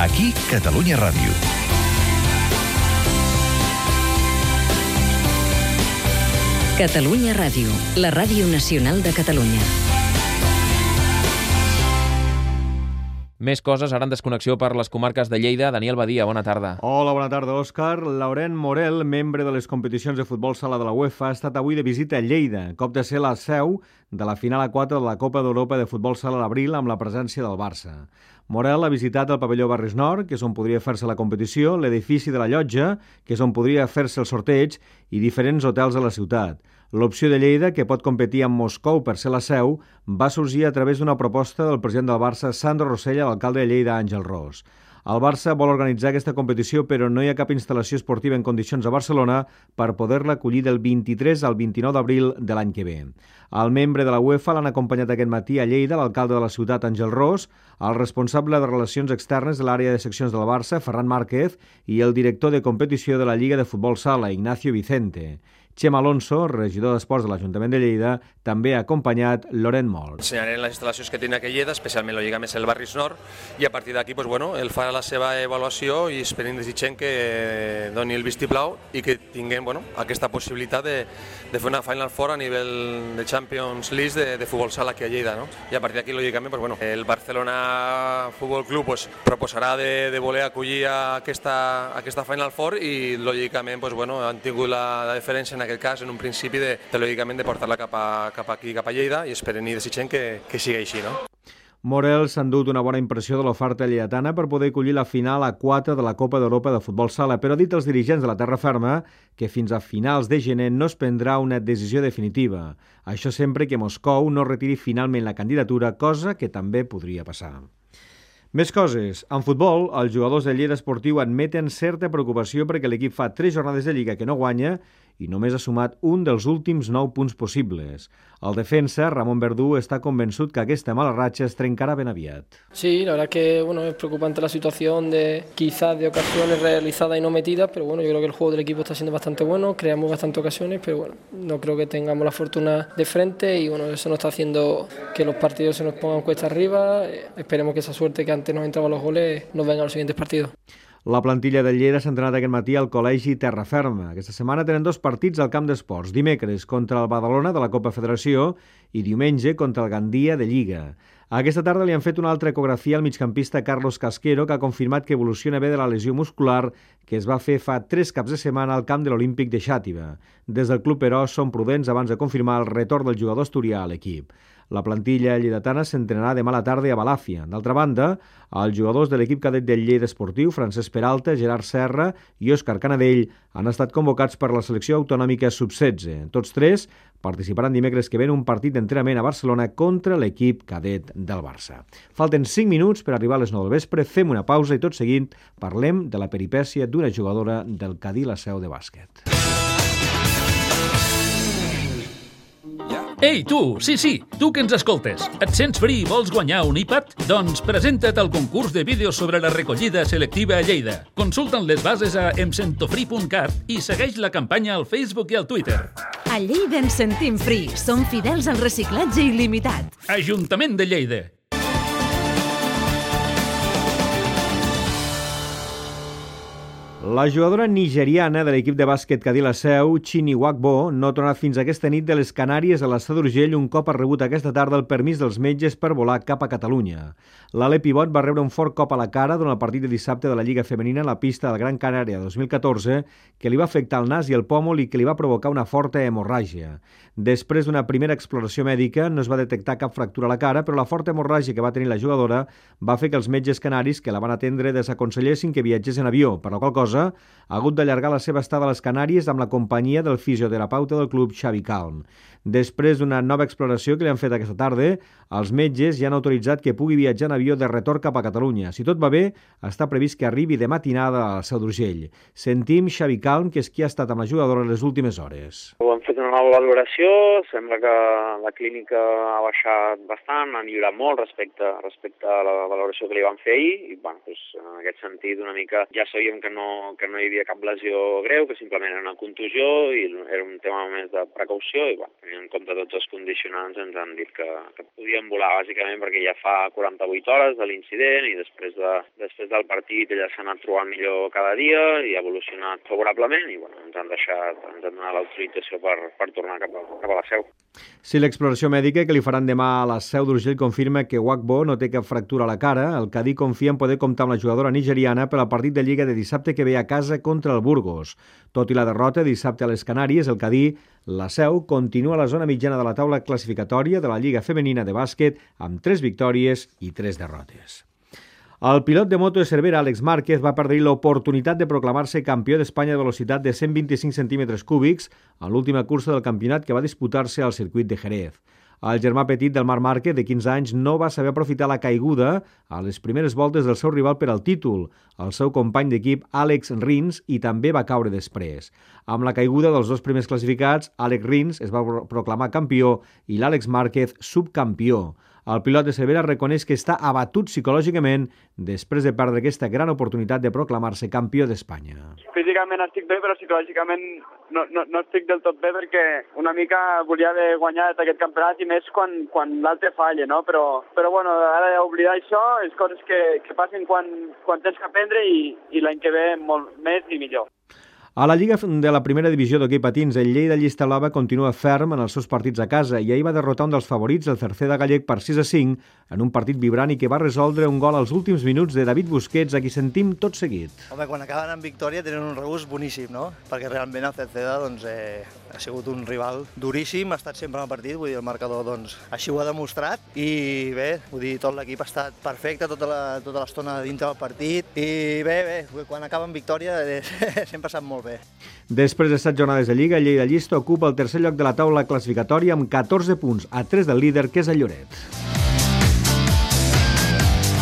Aquí, Catalunya Ràdio. Catalunya Ràdio, la ràdio nacional de Catalunya. Més coses, ara en desconnexió per les comarques de Lleida. Daniel Badia, bona tarda. Hola, bona tarda, Òscar. Laurent Morel, membre de les competicions de futbol sala de la UEFA, ha estat avui de visita a Lleida, cop de ser la seu de la final a 4 de la Copa d'Europa de futbol sala a l'abril amb la presència del Barça. Morel ha visitat el pavelló Barris Nord, que és on podria fer-se la competició, l'edifici de la Llotja, que és on podria fer-se el sorteig, i diferents hotels a la ciutat. L'opció de Lleida, que pot competir amb Moscou per ser la seu, va sorgir a través d'una proposta del president del Barça, Sandro Rosell, a l'alcalde de Lleida, Àngel Ros. El Barça vol organitzar aquesta competició, però no hi ha cap instal·lació esportiva en condicions a Barcelona per poder-la acollir del 23 al 29 d'abril de l'any que ve. El membre de la UEFA l'han acompanyat aquest matí a Lleida, l'alcalde de la ciutat, Àngel Ros, el responsable de Relacions Externes de l'àrea de seccions del Barça, Ferran Márquez, i el director de competició de la Lliga de Futbol Sala, Ignacio Vicente. Chema Alonso, regidor d'Esports de l'Ajuntament de Lleida, també ha acompanyat Laurent Morel. Ensenyarem les instal·lacions que té aquí a Lleida, especialment la Lliga més el Barris Nord, i a partir d'aquí ell farà la seva avaluació i esperem desitgem que doni el vistiplau i que tinguem aquesta possibilitat de fer una Final Four a nivell de Champions League de futbol sala aquí a Lleida. I a partir d'aquí, lògicament, el Barcelona Futbol Club proposarà de voler acollir aquesta Final Four i, lògicament, han tingut la deferència en aquest cas, en un principi, lògicament, de portar-la cap aquí, cap a Lleida, i esperem i desitgem que sigui així, no? Morel s'ha endut una bona impressió de l'oferta lleidatana per poder acollir la final a 4 de la Copa d'Europa de futbol sala, però ha dit als dirigents de la terra ferma que fins a finals de gener no es prendrà una decisió definitiva. Això sempre que Moscou no retiri finalment la candidatura, cosa que també podria passar. Més coses. En futbol, els jugadors de Lleida Esportiu admeten certa preocupació perquè l'equip fa 3 jornades de Lliga que no guanya i només ha sumat un dels últims 9 punts possibles. El defensa, Ramon Verdú, está convençut que aquesta mala ratxa es trencarà ben aviat. Sí, la verdad es que es preocupante la situación quizás de ocasiones realizadas y no metidas, pero yo creo que el juego del equipo está siendo bastante bueno, creamos bastantes ocasiones, pero no creo que tengamos la fortuna de frente y eso nos está haciendo que los partidos se nos pongan cuesta arriba. Esperemos que esa suerte que antes nos entraban los goles nos venga a los siguientes partidos. La plantilla de Lleida s'ha entrenat aquest matí al Col·legi Terraferma. Aquesta setmana tenen 2 partits al camp d'esports. Dimecres contra el Badalona de la Copa Federació i diumenge contra el Gandia de Lliga. Aquesta tarda li han fet una altra ecografia al migcampista Carlos Casquero, que ha confirmat que evoluciona bé de la lesió muscular que es va fer fa 3 caps de setmana al camp de l'Olímpic de Xàtiva. Des del club, però, són prudents abans de confirmar el retorn del jugador asturià a l'equip. La plantilla lleidatana s'entrenarà demà a la tarda a Balàfia. D'altra banda, els jugadors de l'equip cadet del Lleida Esportiu, Francesc Peralta, Gerard Serra i Òscar Canadell, han estat convocats per la selecció autonòmica sub-16. Tots 3 participaran dimecres que ve en un partit d'entrenament a Barcelona contra l'equip cadet del Barça. Falten 5 minuts per arribar a les 9 del vespre, fem una pausa i tot seguint parlem de la peripècia d'una jugadora del Cadí la Seu de bàsquet. Ei, tu! Sí, tu que ens escoltes. Et sents fri i vols guanyar un iPad? Doncs presenta't al concurs de vídeos sobre la recollida selectiva a Lleida. Consulta'n les bases a emsentofri.cat i segueix la campanya al Facebook i al Twitter. A Lleida ens sentim free. Som fidels al reciclatge il·limitat. Ajuntament de Lleida. La jugadora nigeriana de l'equip de bàsquet Cadí la Seu, Chini Wakbo, no ha tornat fins aquesta nit de les Canàries a l'Estat d'Urgell un cop ha rebut aquesta tarda el permís dels metges per volar cap a Catalunya. L'Ale Pivot va rebre un fort cop a la cara durant el partit de dissabte de la Lliga Femenina a la pista del Gran Canària 2014 que li va afectar el nas i el pòmul i que li va provocar una forta hemorràgia. Després d'una primera exploració mèdica no es va detectar cap fractura a la cara, però la forta hemorràgia que va tenir la jugadora va fer que els metges canaris que la van atendre desaconsellessin que viatgés en avió, per la qual cosa ha hagut d'allargar la seva estada a les Canàries amb la companyia del fisioterapeuta del club, Xavi Calm. Després d'una nova exploració que li han fet aquesta tarda, els metges ja han autoritzat que pugui viatjar en avió de retorn cap a Catalunya. Si tot va bé, està previst que arribi de matinada a la Seu d'Urgell. Sentim Xavi Calm, que és qui ha estat amb la jugadora les últimes hores. Ho han fet una nova valoració, sembla que la clínica ha baixat bastant, ha millorat molt respecte a la valoració que li van fer ahir, i en aquest sentit una mica ja sabíem que no no hi havia cap lesió greu, que simplement era una contusió i era un tema més de precaució i tenint en compte tots els condicionants ens han dit que podien volar bàsicament perquè ja fa 48 hores de l'incident i després del partit ella s'ha anat trobant millor cada dia i ha evolucionat favorablement i ens han donat l'autorització per tornar cap a la Seu. Si l'exploració mèdica que li faran demà a la Seu d'Urgell confirma que Wakbo no té cap fractura a la cara, el Cadí confia en poder comptar amb la jugadora nigeriana per al partit de Lliga de dissabte que ve a casa contra el Burgos. Tot i la derrota dissabte a les Canàries, el Cadí, la Seu, continua a la zona mitjana de la taula classificatòria de la Lliga Femenina de Bàsquet amb 3 victòries i 3 derrotes. El pilot de moto de Cervera, Àlex Márquez, va perdre l'oportunitat de proclamar-se campió d'Espanya de velocitat de 125 centímetres cúbics en l'última cursa del campionat que va disputar-se al circuit de Jerez. El germà petit del Marc Márquez, de 15 anys, no va saber aprofitar la caiguda a les primeres voltes del seu rival per al títol, el seu company d'equip Àlex Rins, i també va caure després. Amb la caiguda dels 2 primers classificats, Àlex Rins es va proclamar campió i l'Àlex Márquez subcampió. El pilot de Cervera reconeix que està abatut psicològicament després de perdre aquesta gran oportunitat de proclamar-se campió d'Espanya. Físicament estic bé, però psicològicament no estic del tot bé perquè una mica volia haver guanyat aquest campionat i més quan l'altre falla, no? Però bueno, ara oblidar això és coses que passen quan tens que aprendre i l'any que ve molt més i millor. A la Lliga de la primera divisió d'hoquei patins, el Lleida Llista Blava continua ferm en els seus partits a casa i ahir va derrotar un dels favorits, el Cerceda Gallec, per 6-5 en un partit vibrant i que va resoldre un gol als últims minuts de David Busquets, a qui sentim tot seguit. Home, quan acaben amb victòria tenen un regust boníssim, no? Perquè realment el Cerceda ha sigut un rival duríssim, ha estat sempre en el partit, vull dir, el marcador així ho ha demostrat i bé, vull dir, tot l'equip ha estat perfecte tota l'estona dintre del partit i bé, quan acaben victòria sempre sap molt bé. Després de 7 jornades de Lliga, el Lleida Llista ocupa el tercer lloc de la taula classificatòria amb 14 punts, a 3 del líder, que és el Lloret.